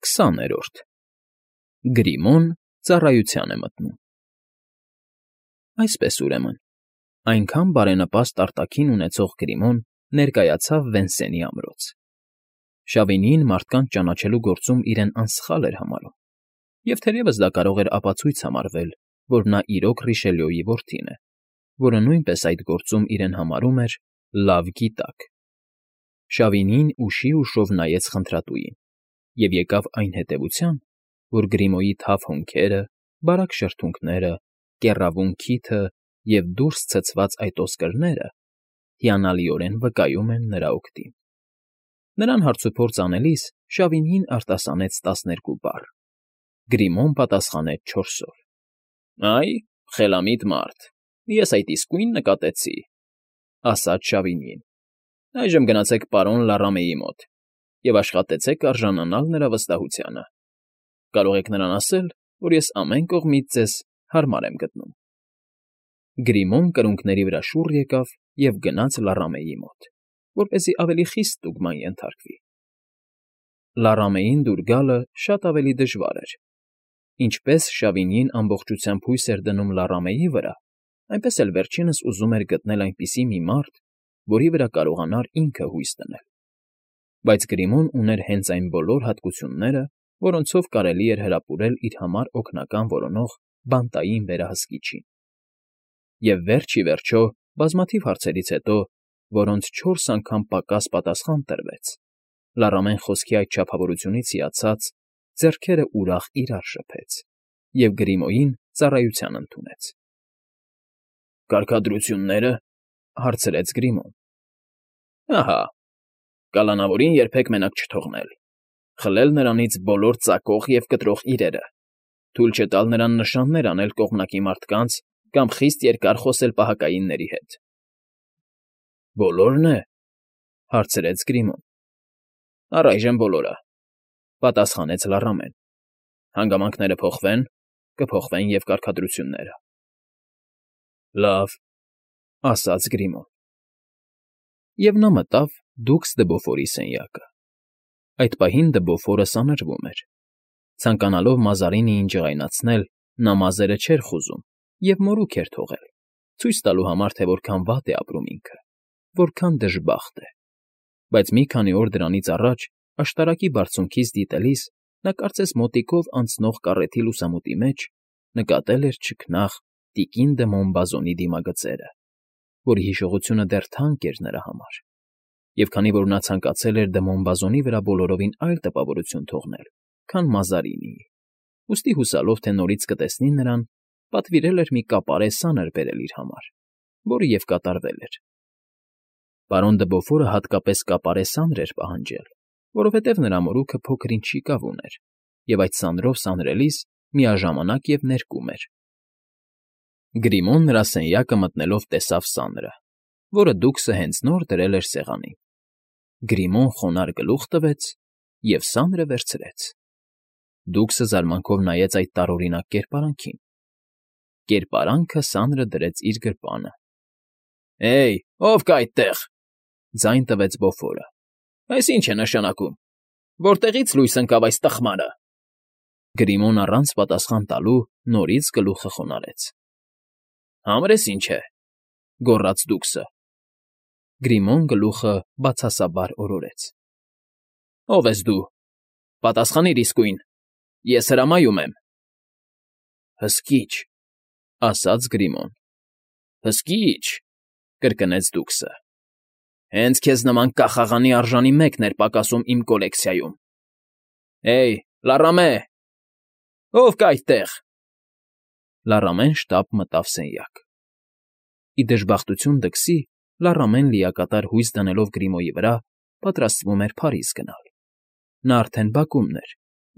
20-րդ Գրիմոն ծառայության է մտնում։ Այսպես ուրեմն, այնքան բարենպաստ արտաքին ունեցող Գրիմոն ներկայացավ Վենսենի ամրոց։ Շավինիին մարդկանց ճանաչելու գործում իրեն անսխալ էր համարում, և թերևս դա կարող էր ապացույց համարվել, որ նա իրոք Ռիշելյոյի որդին է, որը նույնպես այդ գործում իրեն համարում էր լավ գիտակ։ Շավինին ուշի ուշով նայեց խնդրատուին և եկավ այն հետևության, որ Գրիմոյի թավ հոնքերը, բարակ շրթունքները, կեռավուն քիթը և դուրս ցցված այդ ոսկրները հիանալիորեն վկայում են նրա օգտին։ Նրան հարցուփորձ անելիս Շավինին արտասանեց 12 բառ, Գրիմոն պատասխանեց 4-ով։ Այ, խելամիտ մարդ, ես այդ իսկույն նկատեցի, ասաց Շավինին։ Այժմ գնացեք պարոն Լարամեի մոտ և աշխատեցեք արժանանալ նրա վստահությանը։ Կարող եք նրան ասել, որ ես ամեն կողմից ձեզ հարմար եմ գտնում։ Գրիմոն կրունկների վրա շուռ եկավ և գնաց Լարամեի մոտ, որպեսզի ավելի խիստ տուգման ենթարկվի։ Լարամեին դուր գալը շատ ավելի դժվար էր։ Ինչպես Շավինիին ամբողջությամբ հույս էր դնում Լարամեի վրա, այնպես էլ վերջինս ուզում էր գտնել այնպիսի մի մարդ, որի վրա կարողանար ինքը հույս դնել։ Բայց Գրիմոն ուներ հենց այն բոլոր հատկությունները, որոնցով կարելի էր հրապուրել իր համար օգնական որոնող բանտային վերահսկիչին։ Եվ վերջ ի վերջո, բազմաթիվ հարցերից հետո, որոնց 4 անգամ պակաս պատասխան տրվեց, Լարամեն խոսքի այդ չափավորությունից հիացած, ձեռքերը ուրախ իրար շփեց և Գրիմոյին ծառայության ընդունեց։ Կարգադրություննե՞րը,֊ հարցրեց Գրիմոն։ Ահա, կալանավորին երբեք մենակ չթողնել, խլել նրանից բոլոր ծակող և կտրող իրերը, թույլ չտալ նրան նշաններ անել կողմնակի մարդկանց կամ խիստ երկար խոսել պահակայինների հետ։ Բոլորն է,֊ հարցրեց Գրիմոն։ Առայժմ բոլորը,֊ պատասխանեց Լարամեն։ Հանգամանքները փոխվեն, կփոխվեն և կարգադրությունները։ Լավ,֊ ասաց Գրիմոն։ Եվ նա մտավ դուքս Դեբոֆորի սենյակը։ Այդ պահին Դեբոֆորը սանրվում էր։ Ցանկանալով Մազարինիին ջղայնացնել, նա մազերը չէր խուզում և մորուք էր թողել, ցույց տալու համար, թե որքան վատ է ապրում ինքը, որքան դժբախտ է։ Բայց մի քանի օր դրանից առաջ, աշտարակի բարձունքից դիտելիս, նա կարծես մոտիկով անցնող կառեթի լուսամուտի մեջ նկատել էր չքնաղ տիկին դը Մոնբազոնի դիմագծերը, որի հիշողությունը դեռ թանկ էր նրա համար։ Եվ քանի որ նա ցանկացել էր դը Մոնբազոնի վրա բոլորովին այլ տպավորություն թողնել, քան Մազարինիի, ուստի հուսալով, թե նորից կտեսնի նրան, պատվիրել էր մի կապարե սանր բերել իր համար, որը և կատարվել էր։ Պարոն Դեբոֆորը հատկապես կապարե սանր էր պահանջել, որովհետև նրա մորուքը փոքր֊ինչ շիկավ ուներ, և այդ սանրով սանրելիս միաժամանակ և ներկում էր։ Գրիմոն նրա սենյակը մտնելով տեսավ սանրը, որը դուքսը հենց նոր դրել էր սեղանին։ Գրիմոն խոնարհ գլուխ տվեց և սանրը վերցրեց։ Դուքսը զարմանքով նայեց այդ տարօրինակ կերպարանքին։ Կերպարանքը սանրը դրեց իր գրպանը։ Էյ, ո՞վ կա այդտեղ,֊ ձայն տվեց Բոֆորը։ Այս ի՞նչ է նշանակում։ Որտեղի՞ց լույս ընկավ այս տխմարը։ Գրիմոն առանց պատասխան տալու նորից գլուխը խոնարհեց։ Համրես ինչ է,֊ գոռաց դուքսը։ Գրիմոն գլուխը բացասաբար օրորեց։ Ո՞վ ես դու։ Պատասխանիր իսկույն։ Ես հրամայում եմ։ Հսկիչ,֊ ասաց Գրիմոն։ Հսկիչ,֊ կրկնեց դուքսը։ Հենց քեզ նման կախաղանի արժանի մեկն էր պակասում իմ կոլեկցիայում։ Էյ, Լարամե, ո՞վ կա այդտեղ։ Լարամեն շտապ մտավ սենյակ։ Ի դժբախտություն դքսի, Լարամեն լիակատար հույս դնելով Գրիմոյի վրա, պատրաստվում էր Փարիզ գնալ։ Նա արդեն բակումն էր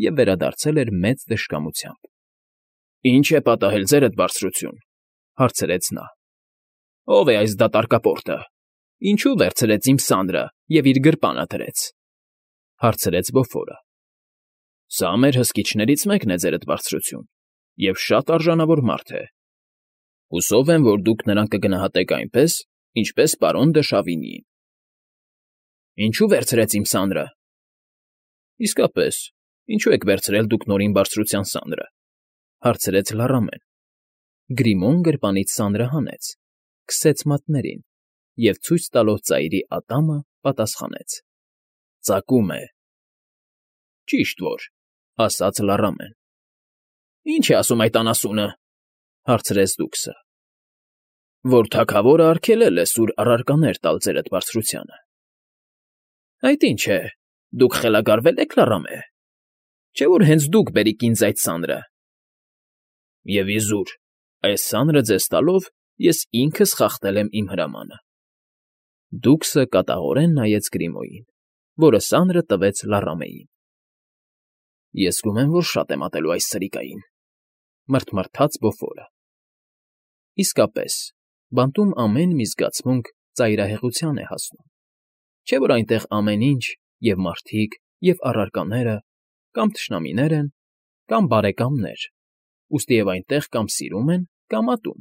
և վերադարձել էր մեծ դժկամությամբ։ Ի՞նչ է պատահել, ձերդ բարձրություն,֊ հարցրեց նա։ Ո՞վ է այս դատարկապորտը։ Ինչու վերցրեց իմ սանրը և իր գրպանը դրեց,֊ հարցրեց Բոֆորը։ Սա մեր հսկիչներից մեկն է, ձերդ բարձրություն, և շատ արժանավոր մարդ է։ Հուսով եմ, որ դուք նրան կգնահատեք այնպես, ինչպես պարոն դը Շավինիին։ Ինչու վերցրեց իմ սանրը։ Իսկապես, Ինչու եք վերցրել դուք նորին բարձրության սանրը, հարցրեց լառամեն։ Գրիմոն գրպանից սանրը հանեց, քսեց մատներին և ցույց տալով ծայրի ատամը պատասխանեց. Ծակում է։ Ճիշտ որ, ասաց լառամեն։ Ինչ է ասում այդ անասունը, հարցրեց դուքսը։ Որ թագավորը արգելել է սուր առարկաներ տալ ձերդ բարձրությանը։ Այդ ինչ է, դուք խելագարվե՞լ եք, լառամե։ Չէ՞ որ հենց դուք բերիք ինձ այդ սանրը։ Եվ իզուր, այս սանրը ձեզ տալով ես ինքս խախտել եմ իմ հրամանը։ Դուքսը կատաղորեն նայեց Գրիմոյին, որը սանրը տվեց լառամեին։ Ես զգում եմ, որ շատ եմ ատելու այս սրիկային, մռթմռթաց Բոֆորը։ Իսկապես, բանտում ամեն մի զգացմունք ծայրահեղության է հասնում։ Չէ՞ որ այնտեղ ամեն ինչ, և մարդիկ, և առարկաները, կամ թշնամիներ են, կամ բարեկամներ, ուստի և այնտեղ կամ սիրում են, կամ ատում,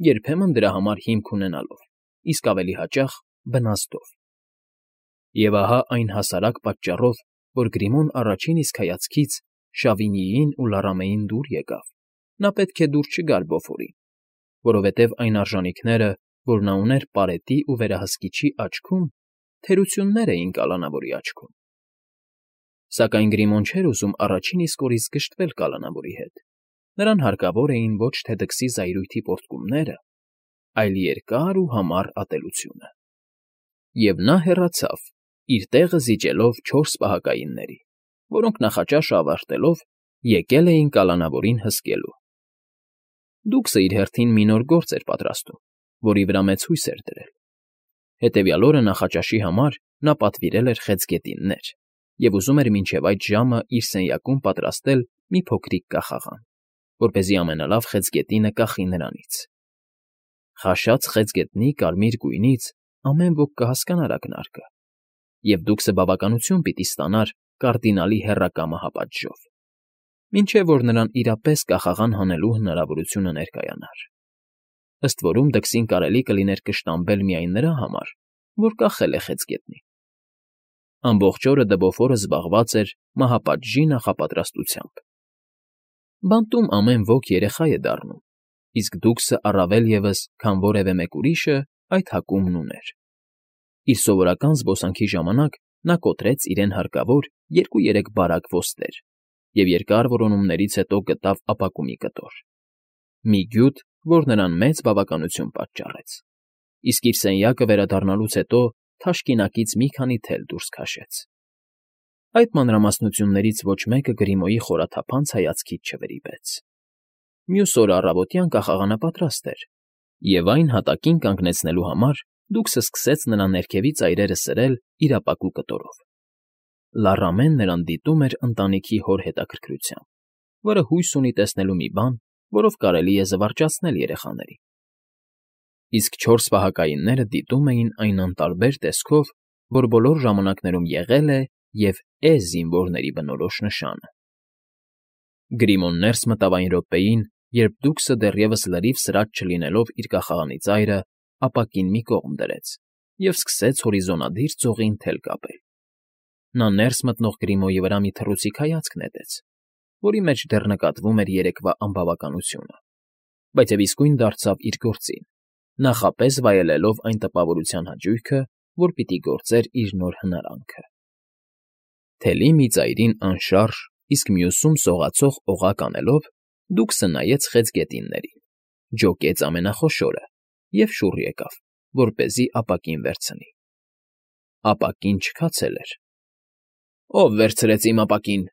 երբեմն դրա համար հիմք ունենալով, իսկ ավելի հաճախ բնազդով։ Եվ ահա այն հասարակ պատճառով, որ Գրիմոն առաջին իսկ հայացքից Շավինիին ու Լառամեին դուր եկավ, նա պետք է դուր չգար Բոֆորին, որովհետև այն արժանիքները, որ նա ուներ պարետի ու վերահսկիչի աչքում, թերություններ էին կալանավորի աչքում։ Սակայն Գրիմոն չէր ուզում առաջին իսկ օրից գժտվել կալանավորի հետ։ Նրան հարկավոր էին ոչ թե դքսի զայրույթի պոռթկումները, այլ երկար ու համառ ատելությունը։ Եվ նա հեռացավ, իր տեղը զիջելով 4 պահակայինների, որոնք նախաճաշը ավարտելով եկել էին կալանավորին հսկելու։ Դուքսը իր հերթին մի նոր գործ էր պատրաստում, որի վրա մեծ հույս էր դրել։ Հետևյալ օրը նախաճաշի համար նա պատվիրել էր խեցգետիններ և ուզում էր մինչև այդ ժամը իր սենյակում պատրաստել մի փոքրիկ կախաղան, որպեսզի ամենալավ խեցգետինը կախի նրանից։ Խաշած խեցգետնի կարմիր գույնից ամեն ոք կհասկանար ակնարկը, և դուքսը բավականություն պիտի ստանար կարդինալի հեռակամը հապատժով, մինչև որ նրան իրապես կախաղան հանելու հնարավորությունը ներկայանար։ Ըստ որում դքսին կարելի կլիներ կշտամբել միայն նրա համար, որ կախել է խեցգետնին։ Ամբողջ օրը Դբոֆորը զբաղված էր մահապատժի նախապատրաստությամբ։ Բանտում ամեն ոք երեխա է դառնում, իսկ դուքսը առավել ևս, քան որևէ մեկ ուրիշը, այդ հակումն ուներ։ Իր սովորական զբոսանքի ժամանակ նա կոտրեց իրեն հարկավոր 2-3 բարակ ոսկեր և երկար որոնումներից հետո գտավ ապակումի կտոր։ Մի գյուտ, որ նրան մեծ բավականություն պատճառեց, իսկ իր սենյակը վերադառնալուց հետո թաշկինակից մի քանի թել դուրս քաշեց։ Այդ մանրամասնություններից ոչ մեկը Գրիմոյի խորաթափանց հայացքից չվրիպեց։ Մյուս օրը առավոտյան կախաղանը պատրաստ էր, և այն հատակին կանգնեցնելու համար դուքսը սկսեց նրա ներքևի ծայրերը սրել իր ապակու կտորով։ Լառամեն նրան դիտում էր ընտանիքի հոր հետաքրքրությամբ, որը հույս ունի տեսնելու մի բան, որով կարելի է զվարճացնել երեխաներին։ Իսկ 4 պահակայինները դիտում էին այն անտարբեր տեսքով, որ բոլոր ժամանակներում եղել է և է զինվորների բնորոշ նշանը։ Գրիմոն ներս մտավ այն րոպեին, երբ դուքսը դեռևս լրիվ սրած չլինելով իր կախաղանի ծայրը ապակին մի կողմ դրեց և սկսեց հորիզոնադիր ծովին թել կապել։ Նա ներս մտնող Գրիմոյի վրա մի թռուցիկ հայացք նետեց, որի մեջ դեռ նկատվում էր երեկվա անբավականությունը, բայց և իսկույն դարձավ իր գործին, նախապես վայելելով այն տպավորության հաճույքը, որ պիտի գործեր իր նոր հնարանքը։ Թելի մի ծայրին անշարժ, իսկ մյուսում սողացող օղակ անելով, դուքսը նայեց խեցգետիններին, ջոկեց ամենախոշորը և շուռ եկավ, որպեսզի ապակին վերցնի։ Ապակին չքացել էր։ Ո՞վ վերցրեց իմ ապակին,֊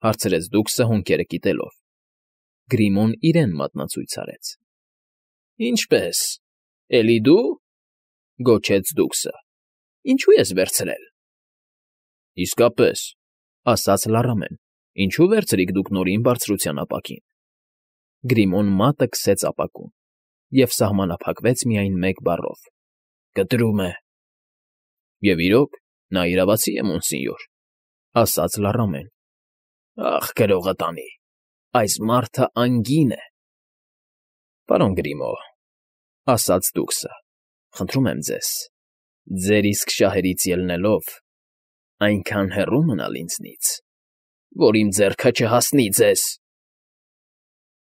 հարցրեց դուքսը հոնքերը կիտելով։ Գրիմոն իրեն մատնացույց արեց։ Ինչպե՞ս, էլի դու,֊ գոչեց դուքսը։ Ինչու ես վերցրել։ Իսկապես,֊ ասաց լառամեն, ինչու վերցրիք դուք նորին բարձրության ապակին։ Գրիմոն մատը քսեց ապակում և սահմանափակվեց միայն մեկ բառով. կտրում է։ Եվ իրոք, նա իրավացի է, մոնսինյոր,֊ ասաց լառամեն։ Ախ, գրողը տանի, այս մարդը անգին է։ Պարոն Գրիմո,֊ ասաց դուքսը,֊ խնդրում եմ ձեզ, ձեր իսկ շահերից ելնելով, այնքան հեռու մնալ ինձնից։ որ իմ ձեռքը չհասնի ձեզ։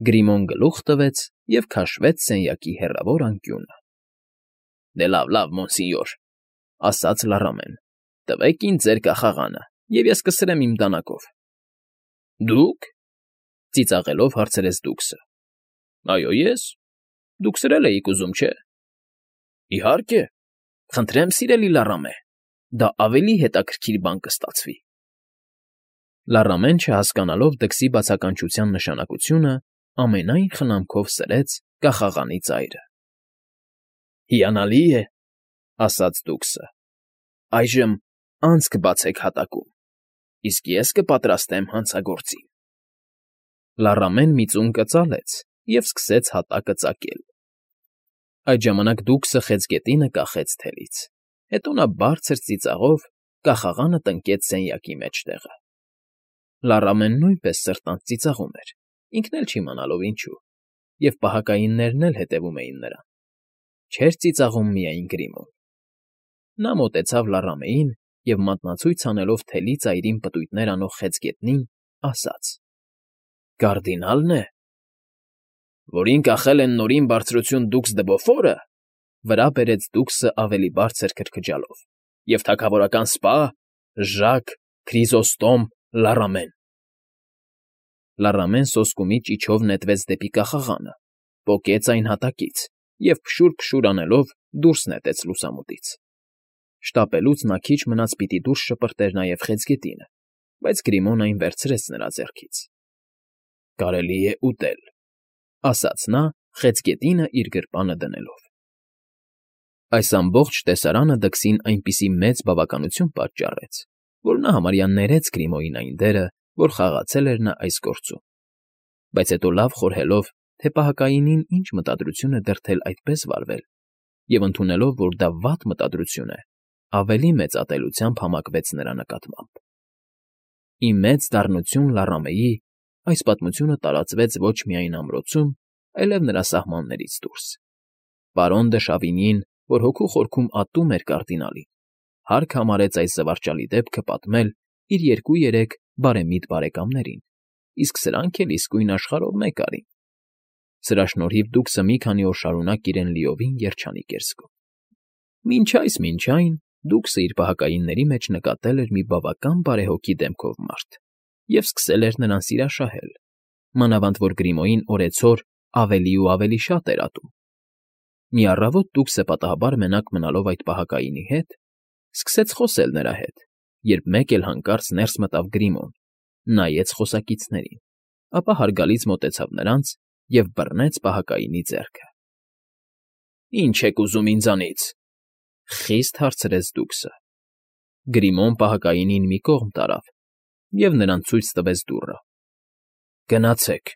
Գրիմոն գլուխ տվեց և քաշվեց սենյակի հեռավոր անկյունը։ Դե լավ, մոնսինյոր, ասաց լառամեն, տվեք ինձ ձեր կախաղանը, և ես կսրեմ իմ դանակով։ Դուք, ծիծաղելով հարցրեց դուքսը։ Այո, ես։ Դուք սրել էիք ուզում, չէ։ Իհարկե, խնդրեմ, սիրելի լառամե, դա ավելի հետաքրքիր բան կստացվի։ Լառամեն, չհասկանալով դքսի բացականչության նշանակությունը, ամենայն խնամքով սրեց կախաղանի ծայրը։ Հիանալի է, ասաց դուքսը։ Այժմ անցք բացեք հատակում, իսկ ես կպատրաստեմ հանցագործին։ Լառամեն մի ծունկ կծալեց և սկսեց հատակը ծակել։ Այդ ժամանակ դուքսը խեցգետինը կախեց թելից, հետո նա բարձր ծիծաղով կախաղանը տնկեց սենյակի մեջտեղը։ Լառամենն նույնպես սրտանց ծիծաղում էր, ինքն էլ չիմանալով ինչու, և պահակայիններն էլ հետևում էին նրան։ Չէր ծիծաղում միայն Գրիմոն։ Նա մոտեցավ լառամեին և մատնացույց անելով թելի ծայրին պտույտներ անող խեցգետնին, ասաց. Կարդինալն է։ Որին կախել են Նորին Բարձրություն դուքս դը Բոֆորը, վրա բերեց դուքսը ավելի բարձր քրքջալով, և թագավորական սպա Ժակ Քրիզոստոմ Լառամեն։ Լառամեն սոսկումի ճիչով նետվեց դեպի կախաղանը, պոկեց այն հատակից և փշուր անելով դուրս նետեց լուսամուտից։ Շտապելուց նա քիչ մնաց պիտի դուրս շպրտեր նաև խեցգետինը, բայց Գրիմոն այն վերցրեց նրա ձեռքից։ Կարելի է ուտել, ասաց նա, խեցգետինը իր գրպանը դնելով։ Այս ամբողջ տեսարանը դքսին այնպիսի մեծ բավականություն պատճառեց, որ նա համարյա ներեց Գրիմոյին այն դերը, որ խաղացել էր նա այս գործում։ Բայց հետո լավ խորհելով, թե պահակայինին ինչ մտադրություն է դրդել այդպես վարվել, և ընդունելով, որ դա վատ մտադրություն է, ավելի մեծ ատելությամբ համակվեց նրա նկատմամբ։ Ի մեծ դառնություն Լառամեի այս պատմությունը տարածվեց ոչ միայն ամրոցում, այլև նրա սահմաններից դուրս։ Պարոն դը Շավինիին, որ հոգու խորքում ատում էր կարդինալին, հարկ համարեց այս զվարճալի դեպքը պատմել իր 2-3 բարեմիտ բարեկամներին, իսկ սրանք էլ իսկույն աշխարհով մեկ արին։ Սրա շնորհիվ դուքսը մի քանի օր շարունակ իրեն լիովին երջանիկ էր զգում։ Մինչ այն դուքսը իր պահակայինների մեջ նկատել էր մի բավական բարեհոգի դեմքով մարդ և սկսել էր նրան սիրաշահել, մանավանդ որ Գրիմոյին օրեցօր ավելի ու ավելի շատ էր ատում։ Մի առավոտ դուքսը պատահաբար մենակ մնալով այդ պահակայինի հետ, սկսեց խոսել նրա հետ, երբ մեկ էլ հանկարծ ներս մտավ Գրիմոն, նայեց խոսակիցներին, ապա հարգալից մոտեցավ նրանց և բռնեց պահակայինի ձեռքը։ Ի՞նչ եք ուզում ինձանից,֊ խիստ հարցրեց դուքսը։ Գրիմոն պահակայինին մի կողմ տարավ և նրան ցույց տվեց դուռը։ Գնացեք,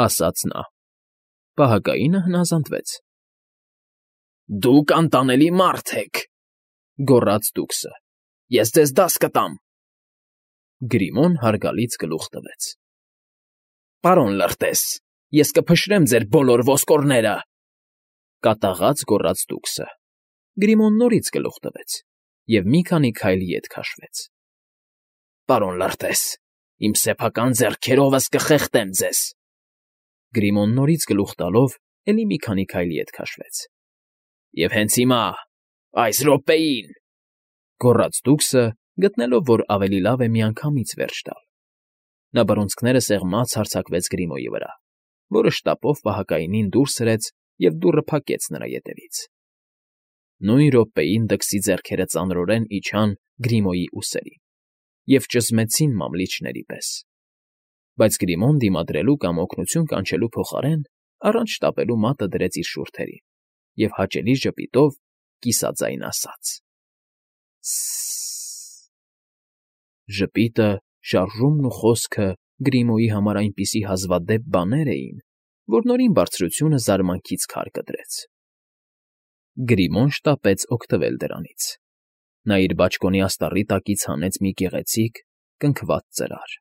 ասաց նա։ Պահակայինը հնազանդվեց։ Դուք անտանելի մարդ եք,֊ գոռաց դուքսը։ Ես ձեզ դաս կտամ։ Գրիմոն հարգալից գլուխ տվեց։ Պարոն լրտես, ես կփշրեմ ձեր բոլոր ոսկորները,֊ կատաղած գոռաց դուքսը։ Գրիմոն նորից գլուխ տվեց և մի քանի քայլ ետ քաշվեց։ Պարոն լրտես, իմ սեփական ձեռքերովս կխեղդեմ ձեզ։ Գրիմոն նորից գլուխ տալով էլի մի քանի քայլ ետ քաշվեց։ Եվ հենց հիմա, այս րոպեին,֊ գոռաց դուքսը, գտնելով, որ ավելի լավ է միանգամից վերջ տալ։ Նա բռունցքները սեղմած հարձակվեց Գրիմոյի վրա, որը շտապով պահակայինին դուրս հրեց և դուռը փակեց նրա ետևից։ Նույն րոպեին դքսի ձեռքերը ծանրորեն իջան Գրիմոյի ուսերին և ճզմեցին մամլիչների պես։ Բայց Գրիմոն դիմադրելու կամ օգնություն կանչելու փոխարեն առանց շտապելու մատը դրեց իր շուրթերին և հաճելի ժպիտով կիսաձայն ասաց. Սը՜ս… Ժպիտը, շարժումն ու խոսքը Գրիմոյի համար այնպիսի հազվադեպ բաներ էին, որ Նորին Բարձրությունը զարմանքից քար կդրեց։ Գրիմոն շտապեց օգտվել դրանից։ Նա իր բաճկոնի աստառի տակից հանեց մի գեղեցիկ, կնքված ծրար,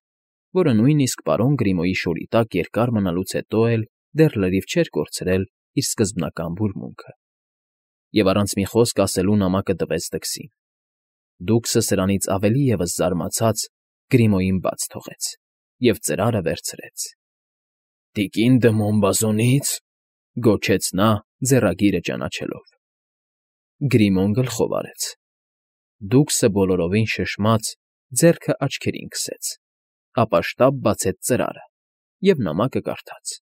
որը նույնիսկ պարոն Գրիմոյի շորի տակ երկար մնալուց հետո էլ դեռ լրիվ չէր կորցրել իր սկզբնական բուրմունքը, և առանց մի խոսք ասելու նամակը տվեց դքսին։ Դուքսը սրանից ավելի ևս զարմացած Գրիմոյին բաց թողեց և ծրարը վերցրեց։ ֊ Տիկին Դմոն֊բազոնի՞ց,֊ գոչեց նա՝ ձեռագիրը ճանաչելով։ Գրիմոն գլխով արեց։ Դուքսը բոլորովին շշմած ձեռքը աչքերին քսեց, ապա շտապ բացեց ծրարը և նամակը կարդաց։